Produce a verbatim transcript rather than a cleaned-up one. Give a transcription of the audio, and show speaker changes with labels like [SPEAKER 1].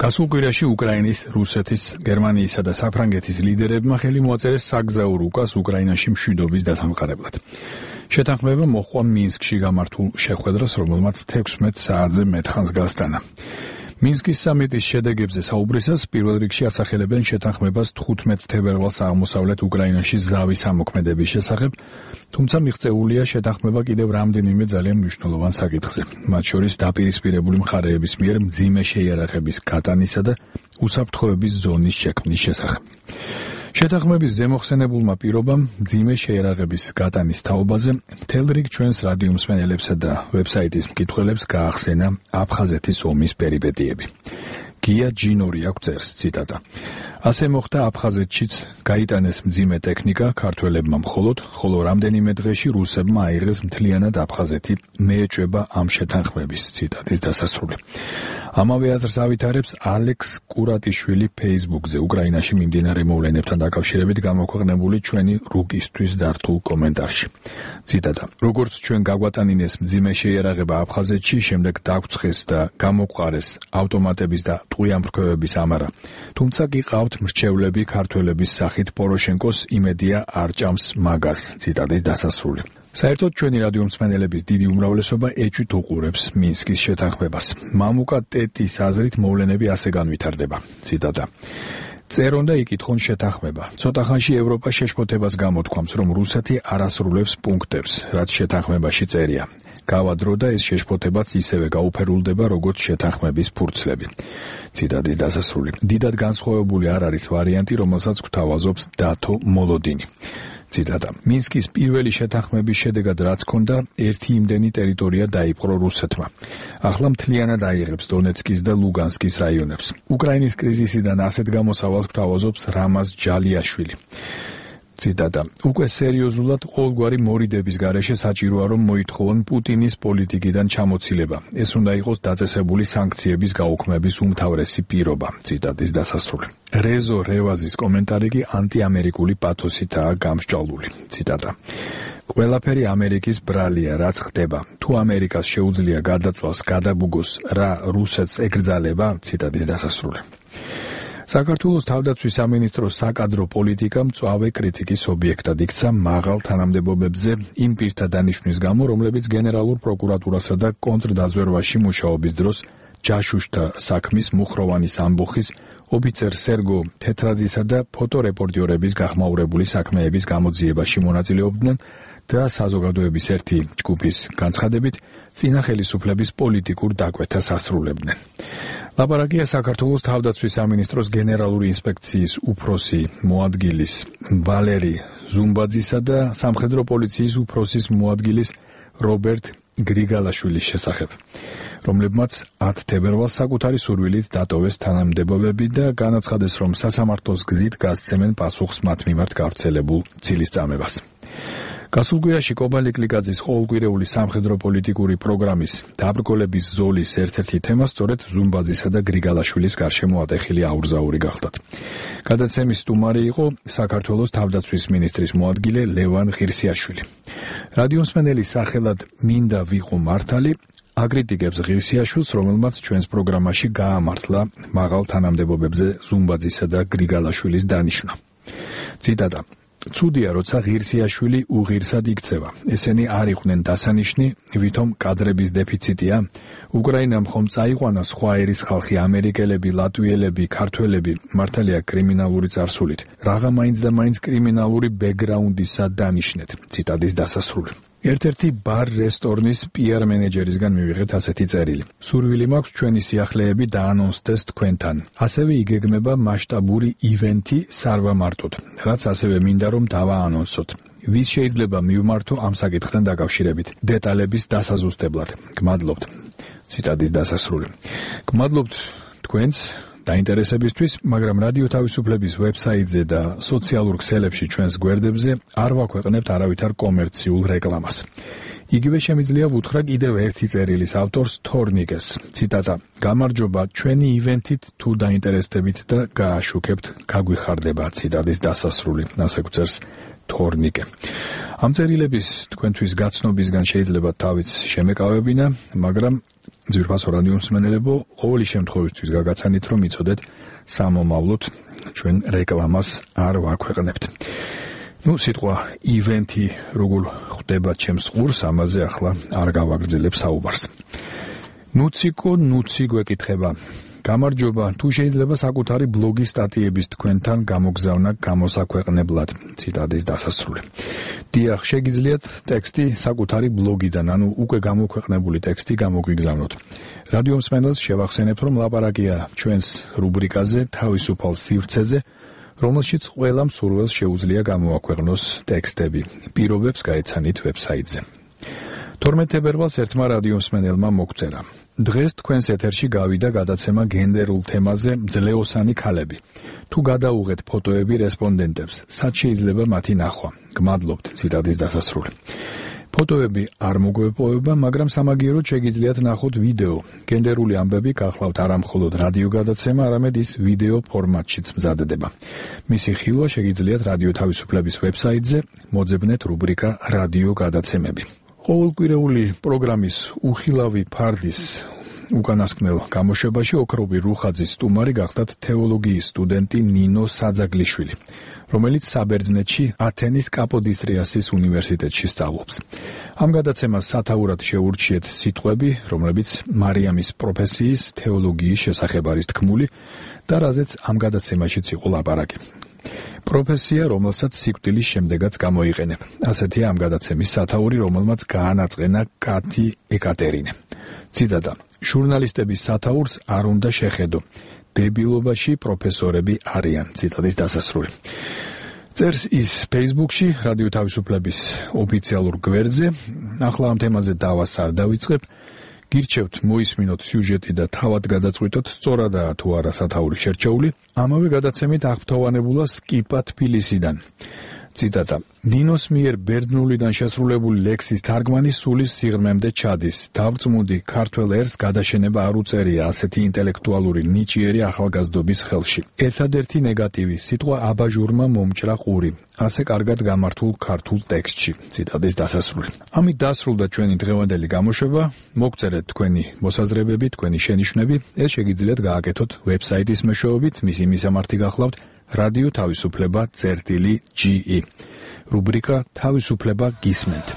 [SPEAKER 1] გასულ კვირაში უკრაინის, რუსეთის, გერმანიისა და საფრანგეთის ლიდერებმა ხელი მოაწერეს საგზაურო უკას უკრაინაში მშვიდობის დასამყარებლად. შეთანხმება მოჰყვა მინსკში გამართულ შეხვედრას, რომელმაც თექვსმეტ საათზე მეტხანს გასტანა. მინსკის სამიტის შედეგებზე საუბრისას პირველ რიგში ასახელებენ შეთანხმებას თხუთმეტ თებერვალს აღმოსავლეთ უკრაინაში ზავის ამოქმედების შესახებ, თუმცა მიღწეულია შეთანხმება კიდევ რამდენიმე ძალიან მნიშვნელოვან საკითხზე, მათ შორის დაპირისპირებული მხარეების მიერ მძიმე შეიარაღების გატანისა და უსაფრთხოების ზონის შექმნის შესახებ. შეთანხმების ზემოხსენებულმა პირობამ მძიმე შეიარაღების გატანის თაობაზე მთელ რიგ ჩვენს რადიო მსმენელებსა და ვებსაიტის მკითხველებს გაახსენა აფხაზეთის ომის პერიპეტიები. გია ჯინორი აქვს წერს, ციტატა. ასე მოხდა აფხაზეთშიც, გაიტანეს მძიმე ტექნიკა ქართველებმა მხოლოდ, ხოლო რამდენიმე დღეში რუსებმა აიღეს მთლიანად აფხაზეთი, მეეჭვება ამ შეთანხმების, ციტატის დასასრული. ამავე აზრს ავითარებს ალექს კურატიშვილი Facebook-ზე უკრაინაში მიმდინარე მოვლენებთან დაკავშირებით გამოქვეყნებული ჩვენი რუკისთვის დართულ კომენტარში. ციტატა. როგორც ჩვენ გაგვატანინეს მძიმე შეიარაღება აფხაზეთში, შემდეგ დაგვცხეს და გამოგვყარეს ავტომატების და ტყვიამფრქვევების ამარა. თუმცა გიყავთ მრჩევლები ქართველების სახით პოროშენკოს იმედია არ ჭამს მაგას, ციტატის დასასრული. საერთოდ ჩვენი რადიო მსმენელების დიდი უმრავლესობა ეჭვით უყურებს მინსკის შეთანხმებას. მამუკა ტეტის აზრით მოვლენები ასე განვითარდება, ციტატა. წერონ და იკითხონ შეთანხმება. ცოტა ხანში ევროპა შეშფოთებას გამოთქვამს, რომ რუსეთი არ ასრულებს პუნქტებს, რაც შეთანხმებაში წერია. გავა დრო და ეს შეშფოთებაც ისევე გაუფერულდება, როგორც შეთანხმების ფურცლები. ციტატის დასასრული. დიდად განსხვავებული არ არის ვარიანტი, რომელსაც გვთავაზობს დათო მოლოდინი. ციტატა. მინსკის პირველი შეთანხმების შედეგად რაც ჰქონდა, ერთი იმდენი ტერიტორია დაიპყრო რუსეთმა. ახლა მთლიანად აიღებს დონეცკის და ლუგანსკის რაიონებს. უკრაინის კრიზისიდან ასეთ გამოსავალს გვთავაზობს რამაზ ჯალიაშვილი. ციტატა. უკვე სერიოზულად ყოველგვარი მორიდების გარეშე საჭიროა, რომ მოითხოვონ პუტინის პოლიტიკიდან ჩამოცილება. ეს უნდა იყოს დაწესებული სანქციების გაუქმების უმთავრესი პირობა. ციტატის დასასრული. რეზო რევაზის კომენტარი კი ანტიამერიკული პათოსითაა გამსჭვალული. ციტატა. ყველაფერი ამერიკის ბრალია, რაც ხდება. თუ ამერიკას შეუძლია გადაწვას, გადაბუგოს, რა რუსეთს ეკრძალება. ციტატის დასასრული. საქართველოს თავდაცვის სამინისტროს საკადრო პოლიტიკა მწვავე კრიტიკის ობიექტად იქცა მაღალ თანამდებობებზე იმ პირთა დანიშვნის გამო, რომლებიც გენერალურ პროკურატურასა და კონტრდაზვერვაში მუშაობის დროს ჯაშუშთა საქმის მუხროვანის ამბოხის, ოფიცერ სერგო თეთრაძისა და ფოტორეპორტიორების გახმაურებული საქმეების გამოძიებაში მონაწილეობდნენ და საზოგადოების ერთი ჯგუფის განცხადებით წინა ხელისუფლების პოლიტიკურ დაკვეთას ასრულებდნენ. ლაპარაკია საქართველოს თავდაცვის სამინისტროს გენერალური ინსპექციის უფროსი მოადგილის ვალერი ზუმბაძისა და სამხედრო პოლიციის უფროსის მოადგილის რობერტ გრიგალაშვილის შესახებ, რომლებმაც ათ თებერვალს საკუთარი სურვილით დატოვეს თანამდებობები და განაცხადეს, რომ სასამართლოს გზით გასცემენ პასუხს მათ მიმართ გავრცელებულ ცილისწამებას. გასულ კვირაში კობალე კლიკაძის ყოველკვირეული სამხედრო პოლიტიკური პროგრამის დაბრკოლების ზოლის ერთ-ერთი თემა სწორედ ზუმბაძისა და გრიგალაშვილის გარშემო ატეხილი აურზაური გახდათ. გადაცემის სტუმარი იყო საქართველოს თავდაცვის მინისტრის მოადგილე ლევან ღირსიაშვილი. რადიო მსმენელის სახელად მინდა ვიყო მართალი აკრიტიკებს ღირსიაშვილს, რომელმაც ჩვენს პროგრამაში გაამართლა მაღალ თანამდებობებზე ზუმბაძისა და გრიგალაშვილის დანიშვნა. ციტატა. ცუდია, როცა ღირსიაშვილი უღირსად იქცევა. ესენი არ იყვნენ დასანიშნი, ვითომ კადრების დეფიციტია. უკრაინამ ხომ წაიყვანა სხვა ერის ხალხი, ამერიკელები, ლატვიელები, ქართველები, მართალია კრიმინალური წარსულით. რაღა მაინც და მაინც კრიმინალური ბექგრაუნდისა დანიშნეთ. ციტატის დასასრული. ერთ-ერთი ბარ რესტორნის პიარ მენეჯერისგან მივიღეთ ასეთი წერილი. სურვილი მაქვს ჩვენი სიახლეები დაანონსდეს თქვენთან. ასევე იგეგმება მასშტაბური ივენთი სარვამარტოდ, რაც ასევე მინდა რომ დავაანონსოთ. ვის შეიძლება მივმართო ამ საკითხთან დაკავშირებით. დეტალების დასაზუსტებლად. გმადლობთ. ციტატის დასასრული. გმადლობთ თქვენს დაინტერესებისთვის, მაგრამ რადიო თავისუფლების ვებსაიტზე და სოციალურ ქსელებში ჩვენს გვერდებზე არ ვაქვეყნებთ არავითარ კომერციულ რეკლამას. იგივე შემიძლია ვუთხრა კიდევ ერთი წერილის ავტორს თორნიკეს. ციტატა: გამარჯობა, ჩვენი ივენთით თუ დაინტერესდებით და გააშუქებთ, გაგვიხარდება. ციტატის დასასრული. ასე გვწერს თორნიკე. ამ წერილების თქვენთვის გაცნობისგან შეიძლება თავიც შემეკავებინა, მაგრამ ძვირფასო რადიო მსმენელებო, ყოველი შემთხვევისთვის გაგაცანით, რომ იცოდეთ სამომავლოდ ჩვენ რეკლამას არ ვაქვეყნებთ. ნუ სიტყვა ივენთი როგორ ხდება ჩემს ყურს, ამაზე ახლა არ გავაგრძელებ საუბარს. ნუციკო ნუცი გვეკითხება: გამარჯობა, თუ შეიძლება საკუთარი ბლოგის სტატიების თქვენთან გამოგზავნა გამოსაქვეყნებლად. ციტატის დასასრული. დიახ, შეგიძლიათ ტექსტი საკუთარი ბლოგიდან, ანუ უკვე გამოქვეყნებული ტექსტი გამოგვიგზავნოთ. რადიო მსმენელს შევახსენებთ, რომ ლაპარაკია ჩვენს რუბრიკაზე თავისუფალ სივრცეზე, რომელშიც ყველა მსურველს შეუძლია გამოაქვეყნოს ტექსტები. პირობებს გაეცანით ვებსაიტზე. თორმეტ თებერვალს ერთმა რადიო მსმენელმა მოგწერა: დღეს თქვენს ეთერში გავიდა გადაცემა გენდერულ თემაზე ძლეოსანი ქალები. თუ გადაუღეთ ფოტოები რესპონდენტებს, სად შეიძლება მათი ნახვა? გმადლობთ. ციტატის დასასრული. ფოტოები არ მოგვეპოვება, მაგრამ სამაგიეროდ შეგიძლიათ ნახოთ ვიდეო. გენდერული ამბები გახლავთ არა მხოლოდ რადიო გადაცემა, არამედ ის ვიდეო ფორმატშიც მზადდება. მისი ხილვა შეგიძლიათ რადიო თავისუფლების ვებსაიტზე, მოძებნეთ რუბრიკა რადიო გადაცემები. ყოველკვირეული პროგრამის უხილავი ფარდის უკანასკნელ გამოშვებაში ოქრობი რუხაძის სტუმარი გახდათ თეოლოგიის სტუდენტი ნინო საძაგლიშვილი, რომელიც საბერძნეთში ათენის კაპოდისტრიასის უნივერსიტეტში სწავლობს. ამ გადაცემას სათაურად შეურჩიეთ სიტყვები, რომლებიც მარიამის პროფესიის თეოლოგიის შესახებ არის თქმული და რაზეც ამ გადაცემაშიც იყო ლაპარაკი. პროფესია, რომელსაც სიკვდილის შემდეგაც გამოიყენებ. ასეთია ამ გადაცემის სათაური, რომელმაც გაანაწყენა კათი ეკატერინე. ციტატა: ჟურნალისტების სათაურს არ უნდა შეხედო. დებილობაში პროფესორები არიან. ციტატის დასასრული. წერს ის Facebook-ში, რადიო თავისუფლების ოფიციალურ გვერდზე. ახლა ამ თემაზე დავას არ დავიწყებ. გირჩევთ მოისმინოთ სიუჟეტი და თავად გადაწყვიტოთ, სწორადაა თუ არა სათაური შერჩეული. ამავე გადაცემით აღფრთოვანებულა სკიპა თბილისიდან. ციტატა: ნინოს მიერ ბერძნულიდან შესრულებული ლექსის თარგმანი სულის სიღრმემდე ჩადის. დავწმუნდი, ქართველ ერს გადაშენება არ უწერია ასეთი ინტელექტუალური ნიჭიერი ახალგაზრდობის ხელში. ერთადერთი ნეგატივი სიტყვა აბაჟურმა მომჭრა ყური, ასე კარგად გამართულ ქართულ ტექსტში. ციტატის დასასრული. ამით დასრულდა ჩვენი დღევანდელი გამოშვება. მოგწერეთ თქვენი მოსაზრებები, თქვენი შენიშვნები. ეს შეგიძლიათ გააკეთოთ ვებსაიტის მეშვეობით, მისი მისამართი გახლავთ რადიო თავისუფლება წერტილი ჯი ი. რუბრიკა თავისუფლება გისმენთ.